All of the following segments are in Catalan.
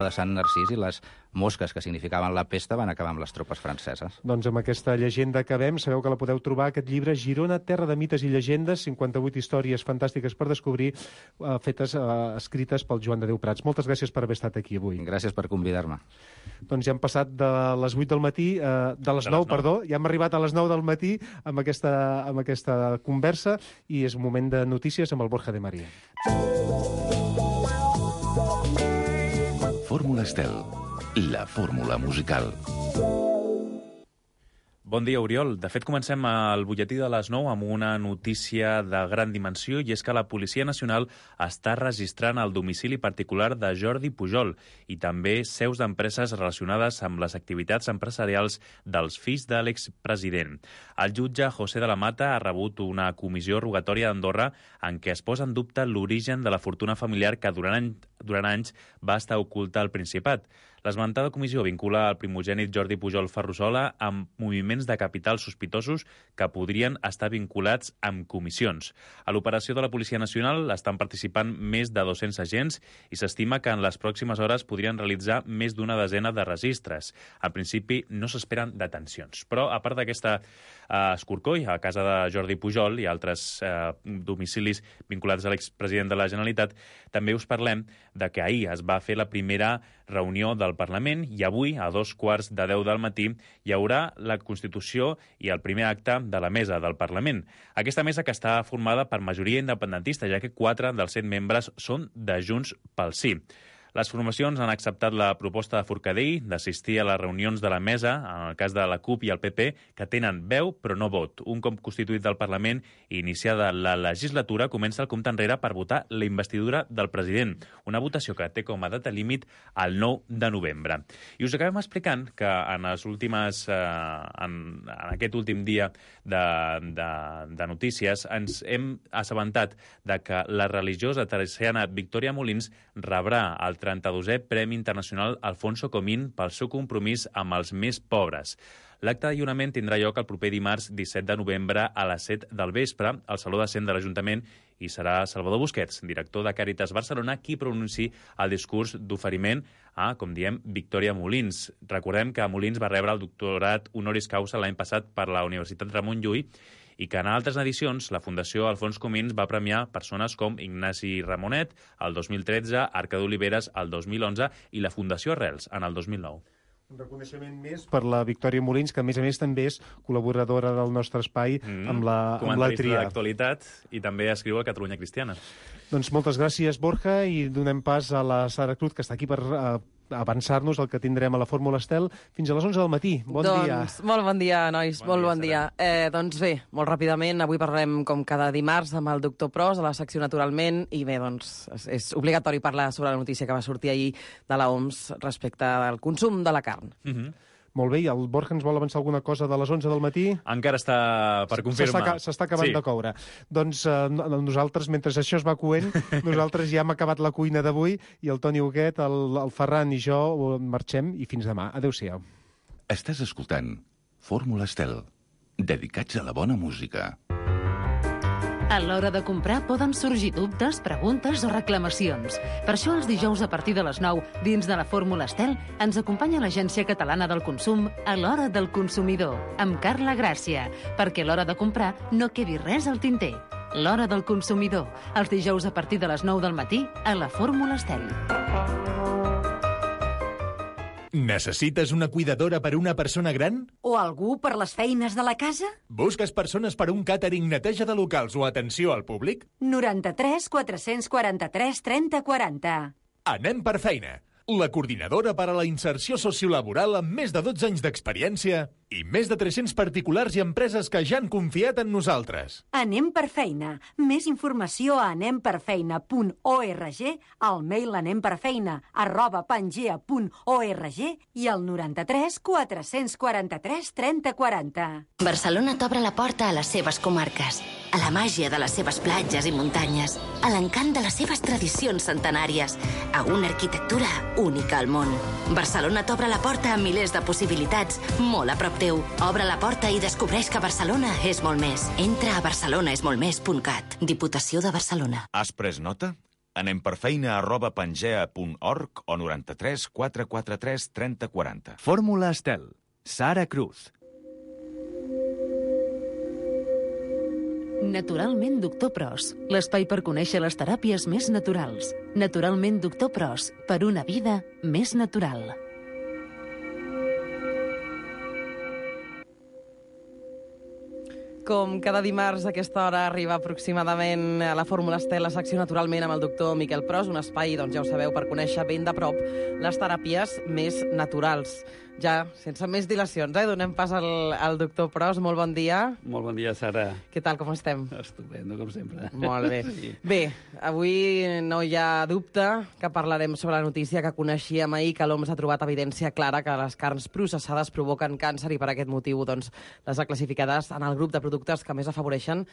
de Sant Narcís i les mosques que significaven la pesta van acabar amb les tropes franceses. Doncs amb aquesta llegenda acabem. Sabeu que la podeu trobar, aquest llibre, Girona, terra de mites i llegendes, 58 històries fantàstiques per descobrir, escrites pel Joan de Déu Prats. Moltes gràcies per haver estat aquí avui. Gràcies per convidar-me. Doncs ja hem passat de les 8 del matí, de les 9, perdó, ja hem arribat a les 9 del matí amb aquesta conversa i és un moment de notícies amb el Borja de María. Fórmula Estel, la fórmula musical. Bon dia, Oriol. De fet, comencem el butlletí de les 9 amb una notícia de gran dimensió, i és que la Policia Nacional està registrant el domicili particular de Jordi Pujol i també seus d'empreses relacionades amb les activitats empresarials dels fills de l'expresident. El jutge José de la Mata ha rebut una comissió rogatòria d'Andorra en què es posa en dubte l'origen de la fortuna familiar que durant anys va estar oculta al Principat. L'esmentada comissió vincula el primogènit Jordi Pujol Ferrusola amb moviments de capital sospitosos que podrien estar vinculats amb comissions. A l'operació de la Policia Nacional estan participant més de 200 agents i s'estima que en les pròximes hores podrien realitzar més d'una desena de registres. Al principi no s'esperen detencions, però a part d'aquesta escorcoll a casa de Jordi Pujol i altres domicilis vinculats a l'expresident de la Generalitat, també us parlem de que ahir es va fer la primera reunió del Parlament i avui, a 2:15 del matí, hi haurà la Constitució i el primer acte de la mesa del Parlament. Aquesta mesa que està formada per majoria independentista, ja que 4 dels 7 membres són de Junts pel Sí. Les formacions han acceptat la proposta de Forcadell d'assistir a les reunions de la mesa, en el cas de la CUP i el PP, que tenen veu però no vot. Un cop constituït del Parlament i iniciada la legislatura, comença el compte enrere per votar la investidura del president, una votació que té com a data límit el 9 de novembre. I us acabem explicant que en aquest últim dia de notícies ens hem assabentat de que la religiosa teresiana Victòria Molins rebrà el 32è Premi Internacional Alfonso Comín pel seu compromís amb els més pobres. L'acte de lliurament tindrà lloc el proper dimarts 17 de novembre a les 7 del vespre al Saló de Cent de l'Ajuntament i serà Salvador Busquets, director de Càritas Barcelona, qui pronunciï el discurs d'oferiment a, com diem, Victòria Molins. Recordem que Molins va rebre el doctorat honoris causa l'any passat per la Universitat Ramon Llull i que en altres edicions la Fundació Alfons Comín va premiar persones com Ignasi Ramonet el 2013, Arca d'Oliveres el 2011 i la Fundació Arrels en el 2009. Un reconeixement més per la Victòria Molins, que a més també és col·laboradora del nostre espai amb la tria. Comentarista d'actualitat i també escriu a Catalunya Cristiana. Doncs moltes gràcies, Borja, i donem pas a la Sara Cruz, que està aquí per avançar-nos el que tindrem a la Fórmula Estel fins a les 11 del matí. Bon dia. Molt bon dia, nois. Molt bon dia. Doncs bé, molt ràpidament, avui parlarem com cada dimarts amb el doctor Pros a la secció Naturalment i bé, doncs és obligatori parlar sobre la notícia que va sortir ahir de l'OMS respecte al consum de la carn. Molt bé, i el Borja ens vol avançar alguna cosa de les 11 del matí? Encara està per confirmar. S'està acabant de coure. Doncs nosaltres, mentre això es va coent, nosaltres ja hem acabat la cuina d'avui i el Toni Huguet, el Ferran i jo marxem i fins demà. Adéu-siau. Estàs escoltant Fórmula Estel, dedicats a la bona música. A l'hora de comprar poden sorgir dubtes, preguntes o reclamacions. Per això els dijous a partir de les 9, dins de la Fórmula Estel, ens acompanya l'Agència Catalana del Consum a l'Hora del Consumidor, amb Carla Gràcia, perquè a l'hora de comprar no quedi res al tinter. L'Hora del Consumidor, els dijous a partir de les 9 del matí a la Fórmula Estel. Necessites una cuidadora per una persona gran? O algú per les feines de la casa? Busques persones per un càtering, neteja de locals o atenció al públic? 93 443 30 40. Anem per feina. La coordinadora per a la inserció sociolaboral amb més de 12 anys d'experiència i més de 300 particulars i empreses que ja han confiat en nosaltres. Anem per feina. Més informació a anemperfeina.org, al mail anemperfeina@pangea.org i al 93 443 30 40. Barcelona t'obre la porta a les seves comarques, a la màgia de les seves platges i muntanyes, a l'encant de les seves tradicions centenàries, a una arquitectura única al món. Barcelona t'obre la porta a milers de possibilitats, molt a prop teu. Obre la porta i descobreix que Barcelona és molt més. Entra a barcelonaesmoltmés.cat. Diputació de Barcelona. Has pres nota? anemperfeina@pangea.org o 93 443 30 40. Fórmula Estel. Sara Cruz. Naturalment Doctor Pros, l'espai per conèixer les teràpies més naturals. Naturalment Doctor Pros, per una vida més natural. Com cada dimarts a aquesta hora arriba aproximadament a la Fórmula Estel, la secció Naturalment amb el doctor Miquel Pros, un espai, doncs ja ho sabeu, per conèixer ben de prop les teràpies més naturals. Ja, sense més dilacions, donem pas al doctor Pros. Molt bon dia. Molt bon dia, Sara. Què tal, com estem? Estupendo, com sempre. Molt bé. Sí. Bé, avui no hi ha dubte que parlarem sobre la notícia que coneixíem ahir, que l'OMS ha trobat evidència clara que les carns processades provoquen càncer i per aquest motiu doncs, les ha classificades en el grup de productes que més afavoreixen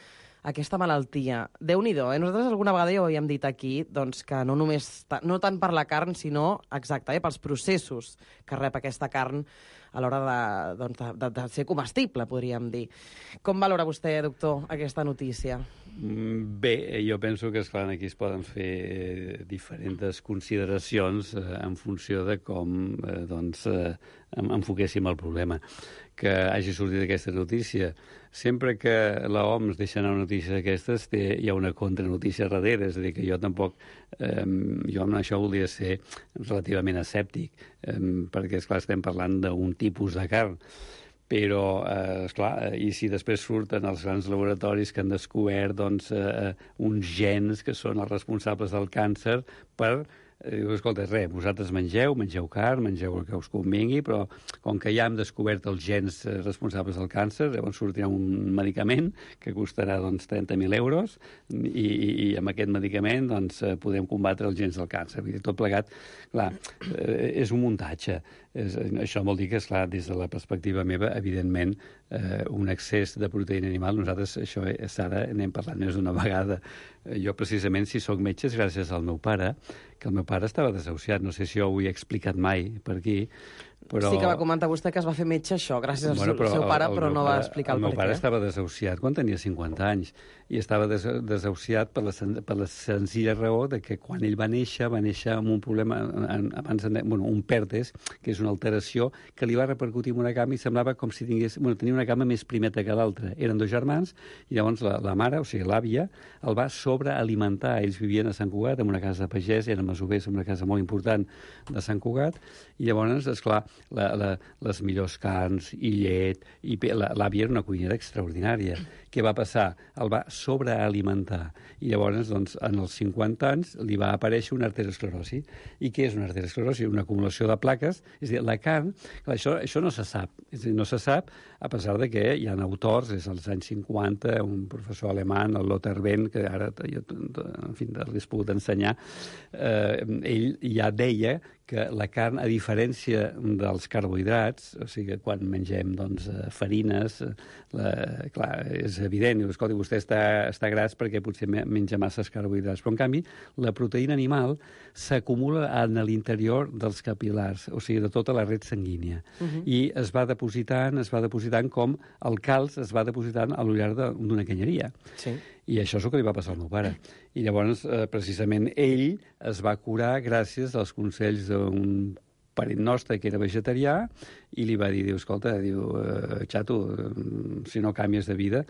aquesta malaltia. Déu-n'hi-do, Nosaltres alguna vegada ja ho havíem dit aquí, doncs, que no només, no tant per la carn, sinó, exacte, pels processos que rep aquesta carn a l'hora de ser comestible, podríem dir. Com valora vostè, doctor, aquesta notícia? Bé, jo penso que, esclar, aquí es poden fer diferents consideracions en funció de com enfoquéssim el problema. Que hagi sortit aquesta notícia. Sempre que l'OMS deixa anar una notícia d'aquestes, hi ha una contranotícia darrere, és a dir, que jo tampoc, jo amb això volia ser relativament escèptic, perquè, esclar, estem parlant d'un tipus de carn, però, esclar, i si després surten els grans laboratoris que han descobert doncs, uns gens que són els responsables del càncer per... Diu, escolta, vosaltres mengeu carn, mengeu el que us convingui, però com que ja hem descobert els gens responsables del càncer, llavors sortirà un medicament que costarà doncs, 30.000 euros i amb aquest medicament doncs, podem combatre els gens del càncer. Vull dir, tot plegat, clar, és un muntatge. Això vol dir que, esclar, des de la perspectiva meva, evidentment, un excés de proteïna animal, nosaltres, això, Sara, n'hem parlat més d'una vegada. Jo, precisament, si sóc metge, és gràcies al meu pare, que el meu pare estava desahuciat. No sé si jo ho he explicat mai per aquí, però... Sí que va comentar vostè que es va fer metge això, gràcies al seu pare, però no va explicar el per què. El meu pare estava desahuciat quan tenia 50 anys, i estava desahuciat per la senzilla raó de que quan ell va néixer amb un problema, un pèrtes, que és una alteració, que li va repercutir en una cama i semblava com si tenia una cama més primeta que l'altra. Eren dos germans, i llavors la mare, o sigui, l'àvia, el va sobrealimentar. Ells vivien a Sant Cugat, en una casa de pagès, eren masovers, en una casa molt important de Sant Cugat, i llavors, esclar, les millors carns i llet, i l'àvia era una cuinera extraordinària. Què va passar? El va sobrealimentar. I llavors, doncs, en els 50 anys, li va aparèixer una arteriosclerosi. I què és una arteriosclerosi? Una acumulació de plaques. És a dir, la carn... Clar, això no se sap. És a dir, no se sap, a pesar de que hi ha autors, des dels anys 50, un professor alemany, el Lothar Benn, que ara, en fi, l'he pogut ensenyar, ell ja deia que la carn, a diferència dels carbohidrats, o sigui, quan mengem doncs, farines, clar, és evident, escolta, vostè està gras perquè potser menja masses carbohidrats, però en canvi la proteïna animal s'acumula en l'interior dels capil·lars, o sigui, de tota la red sanguínia, i es va depositant com el calç es va depositant a l'ullar d'una canyeria. Sí. I això és el que li va passar al meu pare. I llavors, precisament, ell es va curar gràcies als consells d'un parent nostre que era vegetarià i li va dir, escolta, xato, si no canvies de vida...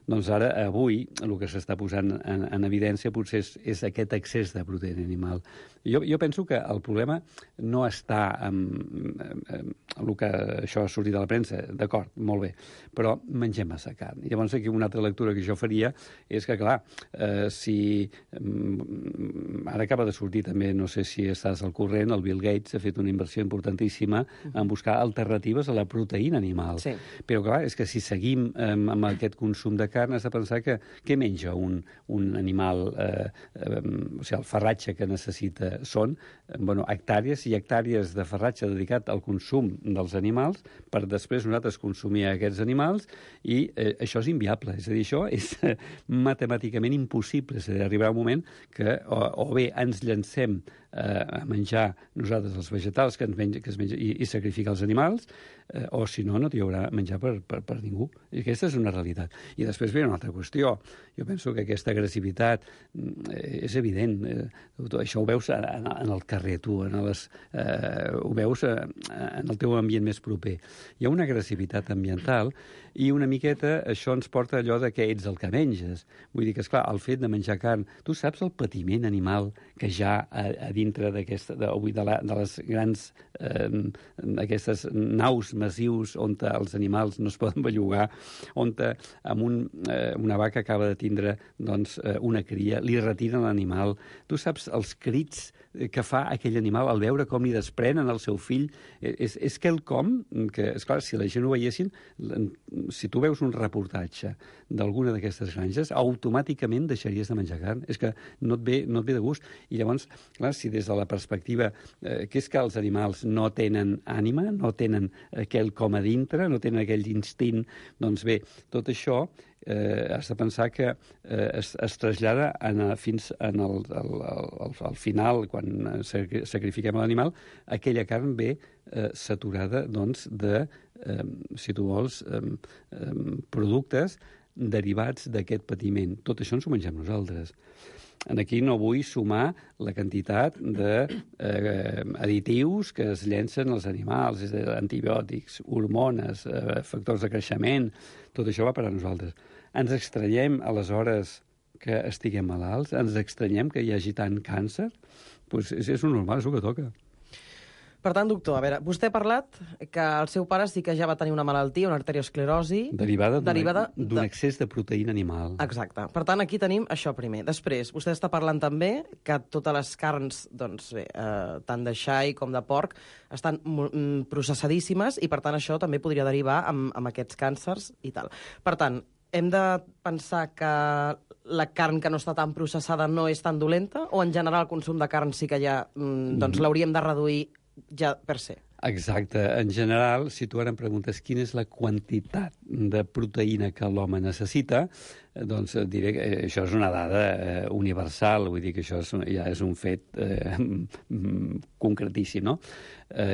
doncs ara, avui, el que s'està posant en evidència potser és aquest excés de proteïna animal. Jo penso que el problema no està en el que això ha sortit a la premsa, d'acord, molt bé, però mengem massa carn. I llavors aquí una altra lectura que jo faria és que, clar, si ara acaba de sortir també, no sé si estàs al corrent, el Bill Gates ha fet una inversió importantíssima en buscar alternatives a la proteïna animal. Sí. Però, clar, és que si seguim amb aquest consum de carn, has de pensar que què menja un animal, o sigui, el farratge que necessita són hectàrees i hectàrees de farratge dedicat al consum dels animals per després nosaltres consumir aquests animals i això és inviable. És a dir, això és matemàticament impossible. És a dir, arribarà un moment que o bé ens llancem a menjar nosaltres els vegetals que es menja i sacrificar els animals, o si no, no hi haurà menjar per ningú. I aquesta és una realitat. agressivitat. I després ve una altra qüestió. Jo penso que aquesta agressivitat és evident. Això ho veus en el carrer, tu, ho veus en el teu ambient més proper. Hi ha una agressivitat ambiental i una miqueta això ens porta allò de que ets el que menges. Vull dir que, esclar, el fet de menjar carn... Tu saps el patiment animal que hi ha a dintre de les grans aquestes naus massius on els animals no es poden bellugar, on una vaca acaba de tindre una cria, li retiren l'animal. Tu saps els crits que fa aquell animal al veure com li desprenen el seu fill? És quelcom que, esclar, si la gent ho veiessin, si tu veus un reportatge d'alguna d'aquestes granges, automàticament deixaries de menjar carn. És que no et ve de gust. I llavors, clar, si des de la perspectiva que és que els animals no tenen ànima, no tenen quelcom a dintre, no tenen aquell instint, doncs bé, tot això has de pensar que es trasllada fins al final, quan sacrifiquem l'animal, aquella carn ve saturada de, si tu vols, productes derivats d'aquest patiment. Tot això ens ho mengem nosaltres. Aquí no vull sumar la quantitat d'additius que es llencen als animals, és a dir, antibiòtics, hormones, factors de creixement, tot això va per a nosaltres. Ens estranyem, aleshores, que estiguem malalts? Ens estranyem que hi hagi tant càncer? Doncs és un normal, és el que toca. Per tant, doctor, a veure, vostè ha parlat que el seu pare sí que ja va tenir una malaltia, una arteriosclerosi... Derivada d'un excés de proteïna animal. Exacte. Per tant, aquí tenim això primer. Després, vostè està parlant també que totes les carns, doncs bé, tant de xai com de porc, estan processadíssimes i, per tant, això també podria derivar amb aquests càncers i tal. Per tant, hem de pensar que la carn que no està tan processada no és tan dolenta o, en general, el consum de carn sí que ja l'hauríem de reduir ja per se? Exacte. En general, si tu ara em preguntes quina és la quantitat de proteïna que l'home necessita, doncs diré que això és una dada universal, vull dir que això ja és un fet concretíssim, no?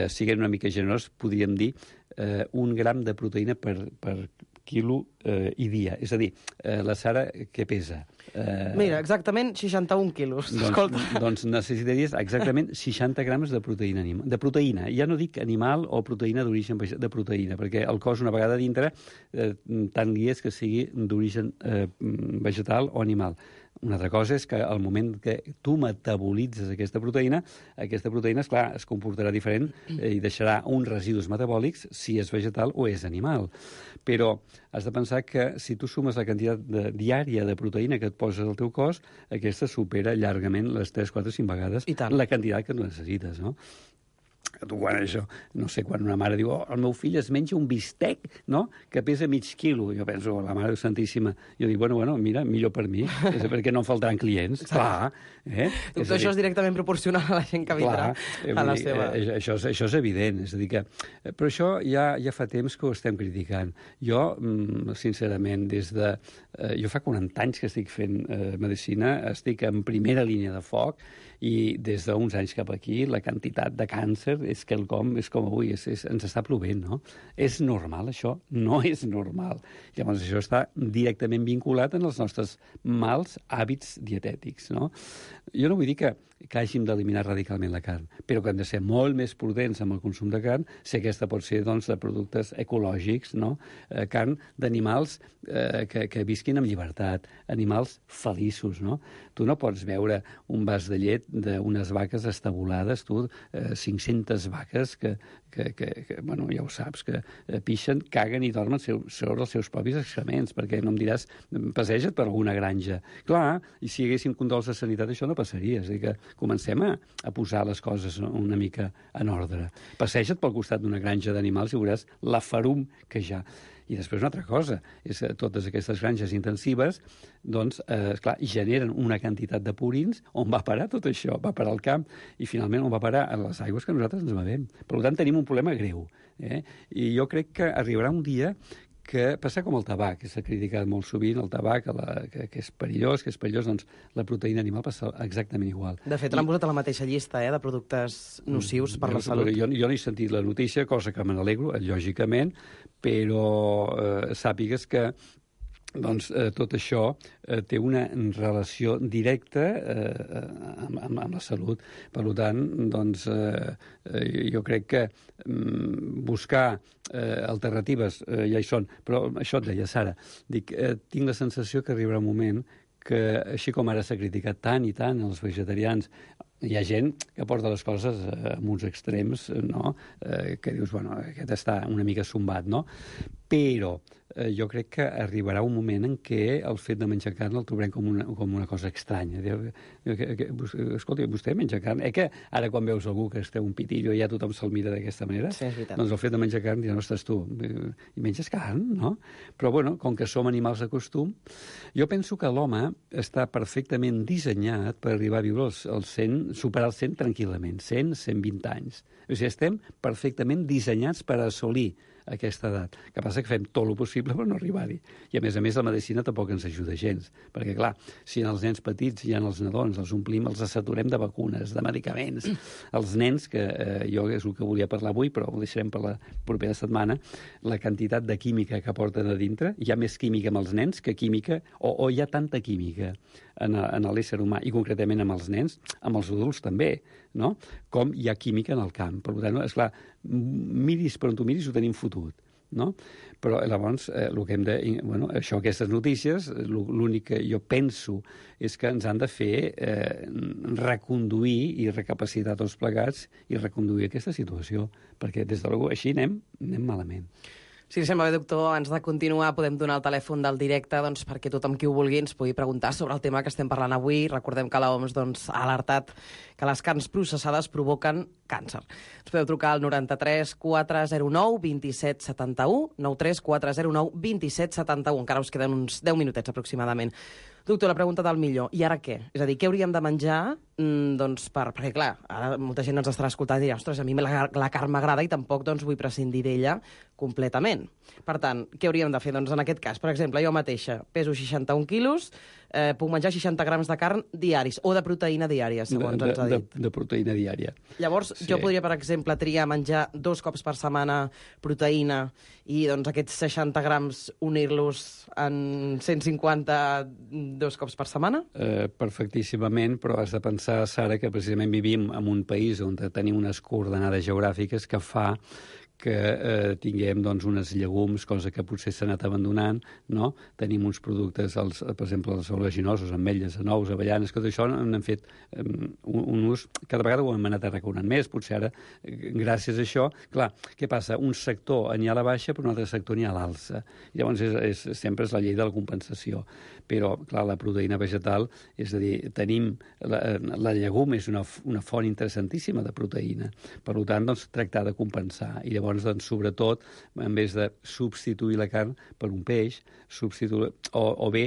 Siguem una mica generós, podríem dir 1 gram de proteïna per quilo i dia. És a dir, la Sara, què pesa? Mira, exactament 61 quilos. Doncs necessitaries exactament 60 grams de proteïna. De proteïna. Ja no dic animal o proteïna d'origen de proteïna, perquè el cos, una vegada dintre, tant li és que sigui d'origen vegetal o animal. Una altra cosa és que al moment que tu metabolitzes aquesta proteïna, esclar, es comportarà diferent i deixarà uns residus metabòlics si és vegetal o és animal. Però has de pensar que si tu sumes la quantitat diària de proteïna que et poses al teu cos, aquesta supera llargament les 3, 4, 5 vegades la quantitat que tu necessites, no? Tu quan això, no sé, quan una mare diu el meu fill es menja un bistec, no?, que pesa mig quilo. Jo penso, la Mare Santíssima. Jo dic, bueno, mira, millor per mi, perquè no em faltaran clients. Clar. Doctor, això és directament proporcional a la gent que vindrà a la seva... Això és evident. És a dir que... Però això ja fa temps que ho estem criticant. Jo, sincerament, jo fa 40 anys que estic fent medicina, estic en primera línia de foc i des d'uns anys cap aquí la quantitat de càncer és quelcom, és com avui, ens està plovent, no? És normal, això? No és normal. Llavors, això està directament vinculat en els nostres mals hàbits dietètics, no? Jo no vull dir que hàgim d'eliminar radicalment la carn, però que hem de ser molt més prudents amb el consum de carn, si aquesta pot ser, doncs, de productes ecològics, no? Carn d'animals que visquin amb llibertat, animals feliços, no? Tu no pots veure un vas de llet d'unes vaques estabulades, tu, 500 vaques que bueno, ja ho saps, que pixen, caguen i dormen sobre els seus propis excrements, perquè no em diràs, passeja't per alguna granja. Clar, i si hi haguéssim controls de sanitat, això no passaria. És a dir, que comencem a posar les coses una mica en ordre. Passeja't pel costat d'una granja d'animals i veuràs la ferum que hi ha. I després una altra cosa, és que totes aquestes granges intensives, doncs, esclar, generen una quantitat de purins. On va parar tot això? Va parar al camp i finalment on va parar? A les aigües que nosaltres ens bevem. Per tant, tenim un problema greu. I jo crec que arribarà un dia que passa com el tabac, que s'ha criticat molt sovint, el tabac, que és perillós, doncs la proteïna animal passa exactament igual. De fet, l'han posat a la mateixa llista de productes nocius per la salut. Jo no he sentit la notícia, cosa que me n'alegro, lògicament, però sàpigues que doncs tot això té una relació directa amb la salut. Per tant, doncs, jo crec que buscar alternatives ja hi són. Però això et deia, Sara, dic, tinc la sensació que arribarà un moment que, així com ara s'ha criticat tant i tant els vegetarians, hi ha gent que porta les coses amb uns extrems, no? Que dius, bueno, aquest està una mica sombat, no? Però jo crec que arribarà un moment en què el fet de menjar carn el trobarem com una cosa estranya. Escolta, vostè menja carn? Que ara quan veus algú que es treu un pitillo ja tothom se'l mira d'aquesta manera? Sí, és veritat. Doncs el fet de menjar carn dirà, ostres, tu, i menges carn, no? Però, bueno, com que som animals de costum, jo penso que l'home està perfectament dissenyat per arribar a viure els 100, superar els 100 tranquil·lament, 100, 120 anys. O sigui, estem perfectament dissenyats per assolir aquesta edat. El que passa que fem tot el possible per no arribar-hi. I, a més, la medicina tampoc ens ajuda gens. Perquè, clar, si en els nens petits i en els nadons els omplim, els saturem de vacunes, de medicaments. Els nens, que jo és el que volia parlar avui, però ho deixarem per la propera setmana, la quantitat de química que porten a dintre, hi ha més química amb els nens que química, o hi ha tanta química en l'ésser humà, i concretament amb els nens, amb els adults també, no? Com hi ha química en el camp. Per tant, esclar, miris per on tu miris ho tenim fotut, no? Però llavors el que hem de... Bueno, això, aquestes notícies, l'únic que jo penso és que ens han de fer reconduir i recapacitar tots plegats i reconduir aquesta situació, perquè des de així anem malament. Si li sembla bé, doctor, abans de continuar podem donar el telèfon del directe perquè tothom qui ho vulgui ens pugui preguntar sobre el tema que estem parlant avui. Recordem que l'OMS ha alertat que les carns processades provoquen càncer. Ens podeu trucar al 93 409 27 71, 93 409 27 71. Encara us queden uns 10 minutets aproximadament. Doctor, la pregunta del millor. I ara què? És a dir, què hauríem de menjar? Perquè, clar, ara molta gent ens estarà escoltant i dirà, ostres, a mi la carn m'agrada i tampoc vull prescindir d'ella completament. Per tant, què hauríem de fer? Doncs en aquest cas, per exemple, jo mateixa peso 61 quilos, puc menjar 60 grams de carn diaris, o de proteïna diària, segons ens ha dit. De proteïna diària. Llavors, jo podria, per exemple, triar menjar 2 cops per setmana proteïna i aquests 60 grams unir-los en 150 2 cops per setmana? Perfectíssimament, però has de pensar, Sara, que precisament vivim en un país on tenim unes coordenades geogràfiques que fa que tinguem uns llegums, cosa que potser s'ha anat abandonant, no? Tenim uns productes, per exemple, els oleaginosos, ametlles, nous, avellanes, que d'això n'han fet un ús, cada vegada ho hem anat arraconant més, potser ara, gràcies a això, clar, què passa? Un sector n'hi ha a la baixa, però un altre sector n'hi ha a l'alça. Llavors, sempre és la llei de la compensació. Però, clar, la proteïna vegetal, és a dir, tenim... La llegum és una font interessantíssima de proteïna. Per tant, tractar de compensar. I llavors, sobretot, en vez de substituir la carn per un peix, o bé,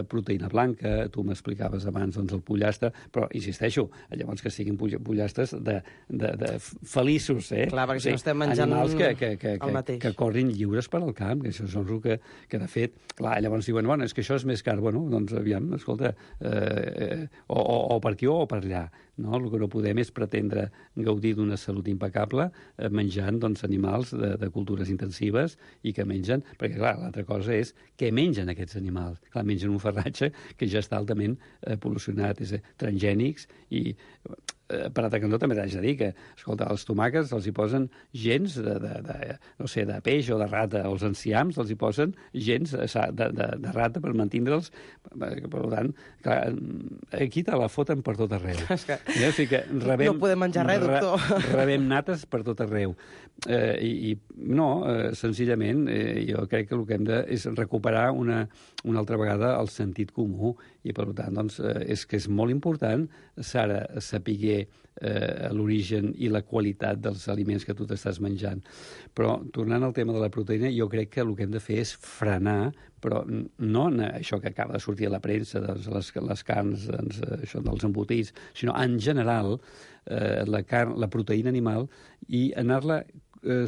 proteïna blanca, tu m'explicaves abans el pollastre, però, insisteixo, llavors que siguin pollastres de feliços, Clar, perquè si no estem menjant animals el mateix. que corrin lliures per al camp, que això és el que de fet, clar, llavors diuen, bueno, és que això és més car, bueno, doncs aviam, escolta, o per aquí o per allà, no? El que no podem és pretendre gaudir d'una salut impecable menjant animals de cultures intensives i que mengen, perquè clar, l'altra cosa és què mengen aquests animals. Clar, mengen un farratge que ja està altament pol·lucionat, és transgènics i per altre cantó també t'haig de dir que, escolta, els tomàquets els hi posen gens de peix o de rata. Els enciams els hi posen gens de rata per mantindre'ls. Per tant, clar, aquí te la foten per tot arreu. O sigui que no podem menjar res, doctor. Rebem nates per tot arreu. Senzillament, jo crec que el que hem de és recuperar una altra vegada el sentit comú i, per tant, és que és molt important, Sara, saber l'origen i la qualitat dels aliments que tu t'estàs menjant. Però, tornant al tema de la proteïna, jo crec que el que hem de fer és frenar, però no això que acaba de sortir a la premsa, les carns, això dels embotits, sinó en general la proteïna animal i anar-la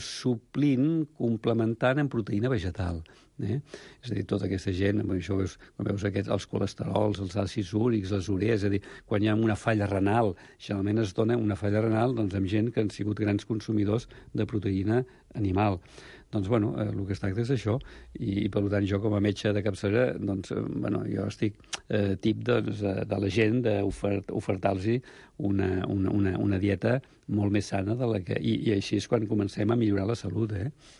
suplint, complementant en proteïna vegetal. És a dir, tota aquesta gent, això veus els colesterols, els àcids úrics, les urees, és a dir, quan hi ha una falla renal, generalment es dona una falla renal amb gent que han sigut grans consumidors de proteïna animal. Doncs, bueno, el que es tracta és això, i per tant jo com a metge de capçalera, doncs, jo estic tip de la gent d'ofertar-los una dieta molt més sana de la que... I així és quan comencem a millorar la salut,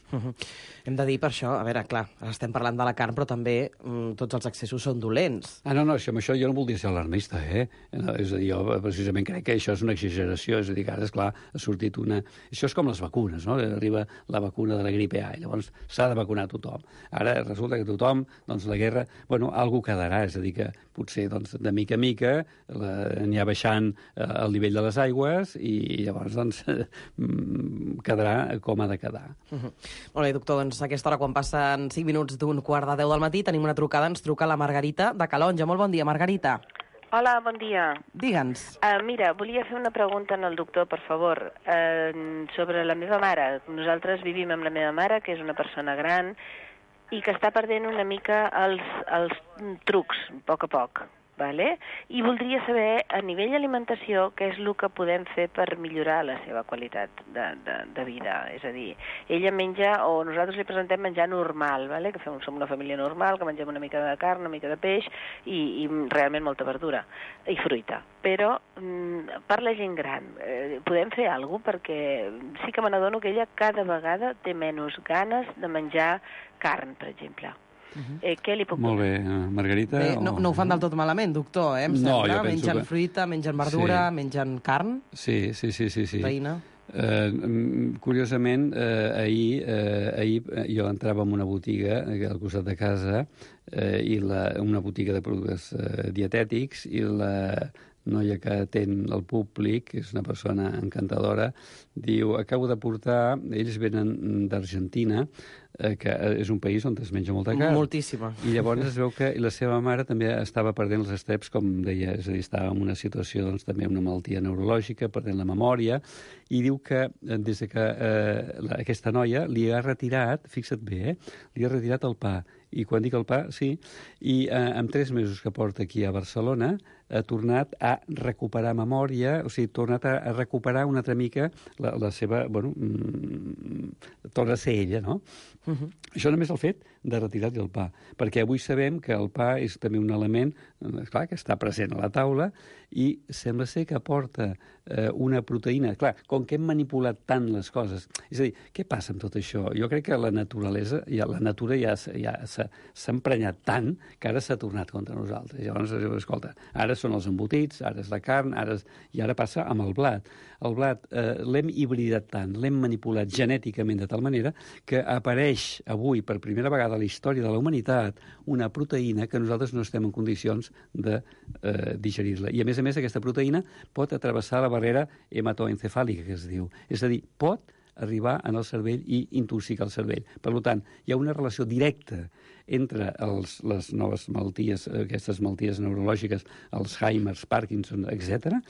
Hem de dir per això, a veure, clar, ara estem parlant de la carn, però també tots els excessos són dolents. No, amb això jo no voldria ser alarmista, És a dir, jo precisament crec que això és una exageració, és a dir, que ara, esclar, ha sortit una... Això és com les vacunes, no? Arriba la vacuna de la gripe A, i llavors s'ha de vacunar tothom. Ara resulta que tothom, doncs la guerra, algú quedarà, és a dir, que potser, doncs, de mica a mica anirà baixant el nivell de les aigües i llavors, doncs, quedarà com ha de quedar. Molt bé, doctor, doncs a aquesta hora, quan passen 5 minuts d'un 9:15 del matí, tenim una trucada, ens truca la Margarita de Calonja. Molt bon dia, Margarita. Hola, bon dia. Digue'ns. Mira, volia fer una pregunta al doctor, per favor, sobre la meva mare. Nosaltres vivim amb la meva mare, que és una persona gran, i que està perdent una mica els trucs, a poc, vale? I voldria saber, a nivell alimentació, què és el que podem fer per millorar la seva qualitat de vida. És a dir, ella menja, o nosaltres li presentem menjar normal, vale? Que som una família normal, que mengem una mica de carn, una mica de peix i realment molta verdura i fruita. Però per la gent gran, podem fer alguna cosa? Perquè sí que me n'adono que ella cada vegada té menys ganes de menjar carn, per exemple. Què li puc dir? Molt bé, Margarita. Bé, no ho fan del tot malament, doctor, em sembla. Mengen fruita, mengen verdura, mengen carn. Sí. Veïna. Curiosament, ahir jo entrava en una botiga al costat de casa, una botiga de productes dietètics, i la noia que atén el públic, que és una persona encantadora, diu, acabo de portar, ells venen d'Argentina, que és un país on es menja molta carn. Moltíssima. I llavors es veu que la seva mare també estava perdent els estreps, com deia, és a dir, estava en una situació, doncs, també una malaltia neurològica, perdent la memòria, i diu que des que aquesta noia li ha retirat, fixa't bé, li ha retirat el pa. I quan dic el pa, sí, i en 3 mesos que porta aquí a Barcelona ha tornat a recuperar memòria, o sigui, ha tornat a recuperar una altra mica la seva, torna a ser ella, no? Això només el fet de retirar-li el pa, perquè avui sabem que el pa és també un element, clar, que està present a la taula, i sembla ser que aporta una proteïna. Clar, com que hem manipulat tant les coses, és a dir, què passa amb tot això? Jo crec que la naturalesa, la natura ja s'ha emprenyat tant que ara s'ha tornat contra nosaltres. Llavors, escolta, ara són els embotits, ara és la carn, i ara passa amb el blat. El blat l'hem hibridat tant, l'hem manipulat genèticament de tal manera que apareix avui, per primera vegada a la història de la humanitat, una proteïna que nosaltres no estem en condicions de digerir-la. I, a més, aquesta proteïna pot atravessar la barrera hematoencefàlica, que es diu. És a dir, pot arribar en el cervell i intoxicar el cervell. Per tant, hi ha una relació directa entre les noves malalties, aquestes malalties neurològiques, Alzheimer, Parkinson, etc.,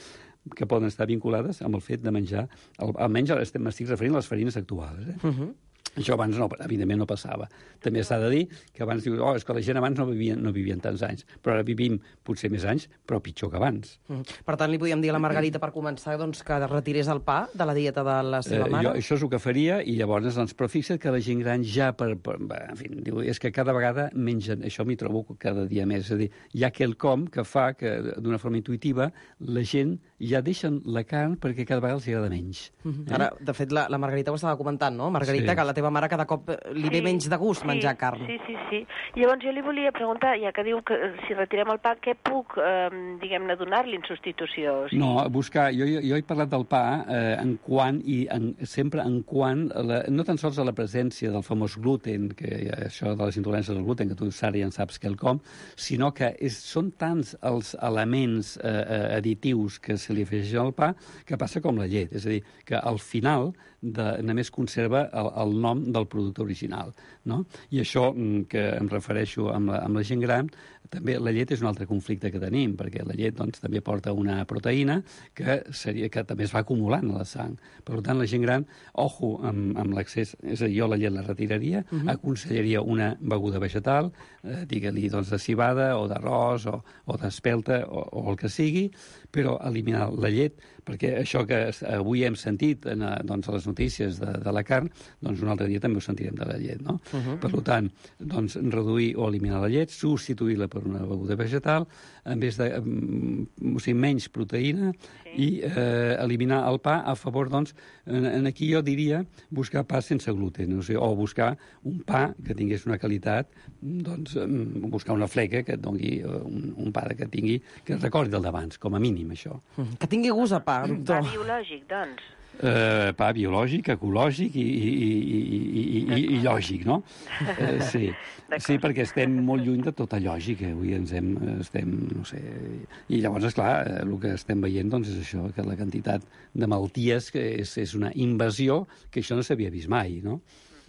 que poden estar vinculades amb el fet de menjar, almenys m'estic referint a les farines actuals. Això abans, evidentment, no passava. També s'ha de dir que abans dius, és que la gent abans no vivien tants anys, però ara vivim potser més anys, però pitjor que abans. Per tant, li podíem dir a la Margarita, per començar, que retirés el pa de la dieta de la seva mare? Això és el que faria, i llavors, però fixa't que la gent gran ja, en fi, diu, és que cada vegada mengen, això m'hi trobo cada dia més, és a dir, hi ha quelcom que fa que, d'una forma intuïtiva, la gent ja deixen la carn perquè cada vegada els agrada menys. Ara, de fet, la Margarita ho estava comentant, no? Margarita, que la teva mare cada cop li ve menys de gust menjar carn. Sí. Llavors jo li volia preguntar, ja que diu que si retirem el pa, què puc, diguem-ne, donar-li en substitució? No, buscar... Jo he parlat del pa sempre en quant, no tan sols a la presència del famós gluten, que això de les intoleràncies del gluten, que tu, Sara, ja en saps quelcom, sinó que són tants els elements additius que se li afegeix al pa, que passa com la llet. És a dir, que al final només conserva el nom del producte original, no? I això que em refereixo amb la gent gran, també la llet és un altre conflicte que tenim, perquè la llet doncs, també porta una proteïna que també es va acumulant a la sang. Per tant, la gent gran, ojo amb l'accés, és a dir, jo la llet la retiraria, aconsellaria una beguda vegetal, digue-li doncs, de civada o d'arròs o d'espelta o el que sigui, però eliminar la llet, perquè això que avui hem sentit doncs, a les notícies de la carn, doncs un altre dia també ho sentirem de la llet, no? Per tant, doncs, reduir o eliminar la llet, substituir-la per una beguda vegetal, en vez de menys proteïna, i eliminar el pa a favor, doncs, aquí jo diria buscar pa sense gluten, o buscar un pa que tingués una qualitat, doncs buscar una fleca que et doni un pa que tingui, que recordi el d'abans, com a mínim, això. Que tingui gust a pa, doctor. Pa biològic, doncs. Pa biològic, ecològic i lògic, no? Sí, perquè estem molt lluny de tota lògica. Avui estem, no sé... I llavors, esclar, el que estem veient doncs, és això, que la quantitat de malalties que és una invasió que això no s'havia vist mai, no?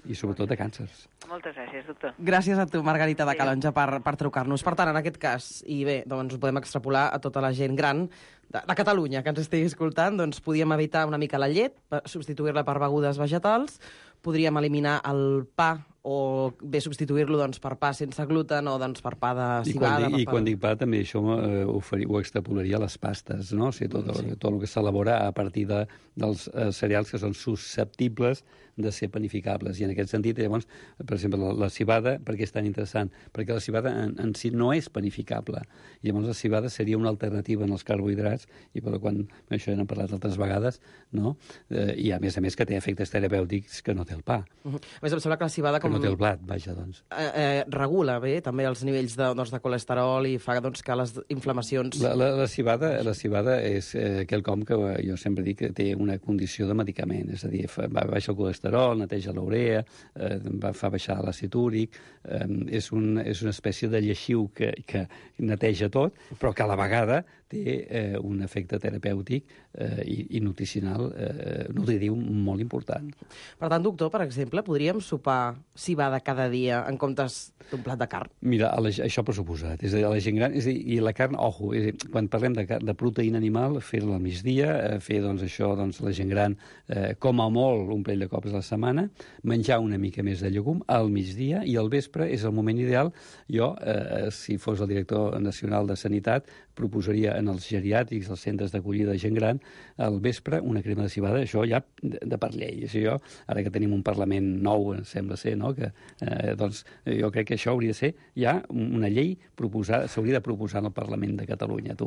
I sobretot de càncers. Moltes gràcies, doctor. Gràcies a tu, Margarita de Calonge, per trucar-nos. Per tant, en aquest cas, i bé, doncs ho podem extrapolar a tota la gent gran de Catalunya que ens estigui escoltant, doncs podíem evitar una mica la llet, substituir-la per begudes vegetals, podríem eliminar el pa o bé substituir-lo doncs, per pa sense gluten o doncs, per pa de civada. I quan dic pa també això ho extrapolaria a les pastes, no? O sigui, tot el que s'elabora a partir dels cereals que són susceptibles de ser panificables. I en aquest sentit, llavors, per exemple, la civada, per què és tan interessant? Perquè la civada en si no és panificable. I llavors la civada seria una alternativa en els carbohidrats, i per quan això n'hem parlat altres vegades, no? I a més que té efectes terapèutics que no té el pa. A més, em sembla que la civada que no té el blat, vaja, doncs. Regula bé també els nivells de colesterol i fa doncs, que les inflamacions... La civada és quelcom que jo sempre dic que té una condició de medicament, és a dir, va baixar el colesterol, neteja l'urea, fa baixar l'àcid úric, és una espècie de lleixiu que neteja tot, però que a la vegada té un efecte terapèutic i nutricional, nutritiu molt important. Per tant, doctor, per exemple, podríem sopar civada cada dia en comptes d'un plat de carn? Mira, això per suposat. És a dir, a la gent gran, i la carn, ojo, quan parlem de proteïna animal, fer-la al migdia, fer doncs, això, doncs, la gent gran, com a molt un parell de cops a la setmana, menjar una mica més de llegum al migdia, i al vespre és el moment ideal. Jo, si fos el director nacional de Sanitat, proposaria en els geriàtrics, els centres d'acollida de gent gran, al vespre una crema de civada, això ja de per llei. Jo, ara que tenim un Parlament nou, sembla ser, no? Que, doncs, jo crec que això hauria de ser ja una llei s'hauria de proposar en el Parlament de Catalunya.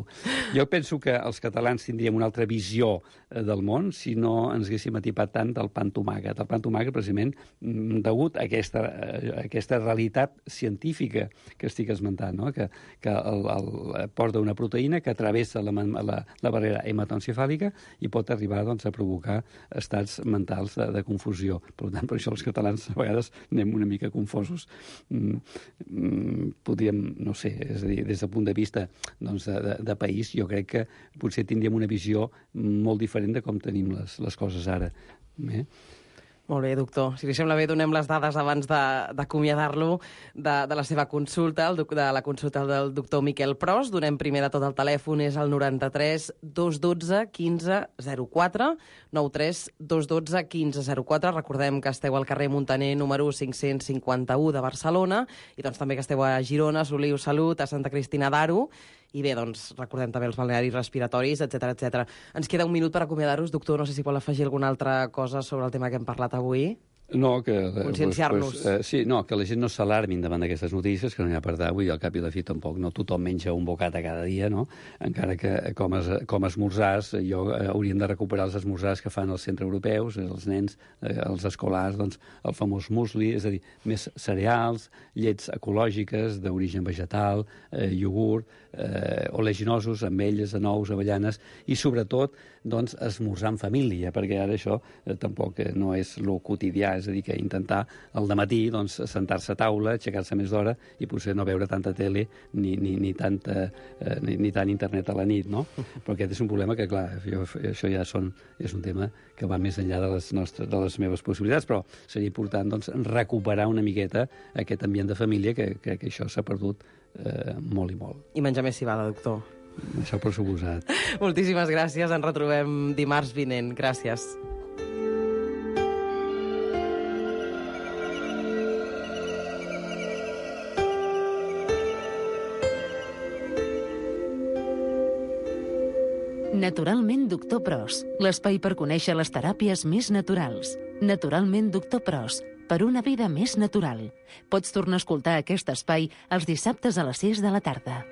Jo penso que els catalans tindríem una altra visió del món si no ens haguéssim atipat tant del pa amb tomàquet. El pa amb tomàquet, precisament, degut a aquesta realitat científica que estic esmentant, no? Que porta una proteïna que travessa la barrera hematoencefàlica i pot arribar doncs, a provocar estats mentals de confusió. Per tant, per això els catalans a vegades anem una mica confosos. Podríem, no sé, és a dir, des del punt de vista doncs, de país, jo crec que potser tindríem una visió molt diferent de com tenim les coses ara. Molt bé, doctor. Si li sembla bé, donem les dades abans d'acomiadar-lo de la seva consulta, de la consulta del doctor Miquel Pros. Donem primer de tot el telèfon, és el 93 212 15 04, 93 212 15 04. Recordem que esteu al carrer Muntaner número 551 de Barcelona i doncs també que esteu a Girona, a Soliu Salut, a Santa Cristina d'Aro. I bé, doncs, recordem també els balnearis respiratoris, etc. Ens queda un minut per acomiadar-vos. Doctor, no sé si vol afegir alguna altra cosa sobre el tema que hem parlat avui. No, que... Conscienciar-nos. Sí, no, que la gent no s'alarmin davant d'aquestes notícies, que no n'hi ha per dar avui, al cap i a la fi tampoc, no tothom menja un bocata cada dia, no? Encara que com a esmorzars, hauríem de recuperar els esmorzars que fan els centreeuropeus, els nens, els escolars, doncs, el famós musli, és a dir, més cereals, llets ecològiques, d'origen vegetal, iogurt, oleaginosos, ametlles, nous, avellanes, i sobretot, doncs, esmorzar en família, perquè ara això tampoc no és lo quotidià, és a dir, que intentar al dematí doncs, sentar-se a taula, aixecar-se més d'hora i potser no veure tanta tele ni tant internet a la nit, no? Però aquest és un problema que, clar, això ja és un tema que va més enllà de les meves possibilitats, però seria important doncs, recuperar una miqueta aquest ambient de família que això s'ha perdut molt i molt. I menjar més civada, doctor. Això per suposat. Moltíssimes gràcies, ens retrobem dimarts vinent. Gràcies. Naturalment Doctor Pros, l'espai per conèixer les teràpies més naturals. Naturalment Doctor Pros, per una vida més natural. Pots tornar a escoltar aquest espai els dissabtes a les 6 de la tarda.